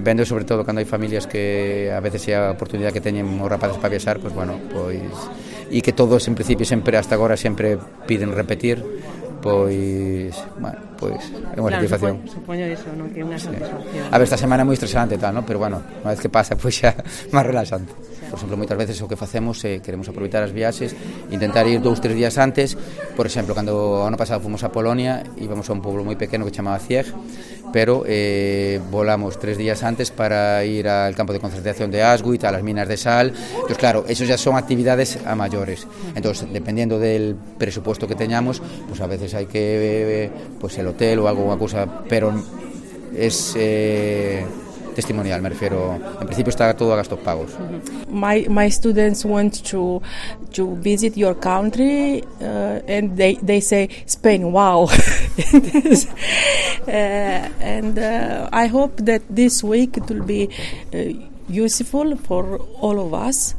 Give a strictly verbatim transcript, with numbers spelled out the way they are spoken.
vendo sobre todo cando hai familias que a veces é a oportunidade que teñen os rapaces para viaxar, pois bueno, pois e que todos en principio sempre hasta agora sempre piden repetir, pois, bueno, pois é unha claro, satisfacción. Supoño, supoño eso, non? Que é unha satisfacción. A ver, esta semana é moi estresante e tal, ¿no? Pero bueno, unha vez que pasa, pois xa máis relaxante. Por exemplo, moitas veces o que facemos é queremos aproveitar as viaxes, intentar ir dous, tres días antes. Por exemplo, cando o ano pasado fomos a Polonia, íbamos a un pueblo moi pequeno que chamaba Cieg, pero eh, volamos tres días antes para ir al campo de concentración de Auschwitz, a las minas de sal. Entonces, claro, esos ya son actividades a mayores. Entonces, dependiendo del presupuesto que teñamos, pues a veces hay que, pues el hotel o algo, unha cousa, pero es eh, testimonial, me refiero. En principio está todo a gastos pagos. My my students want to to visit your country uh, and they they say Spain, wow. uh, and uh, I hope that this week it will be uh, useful for all of us.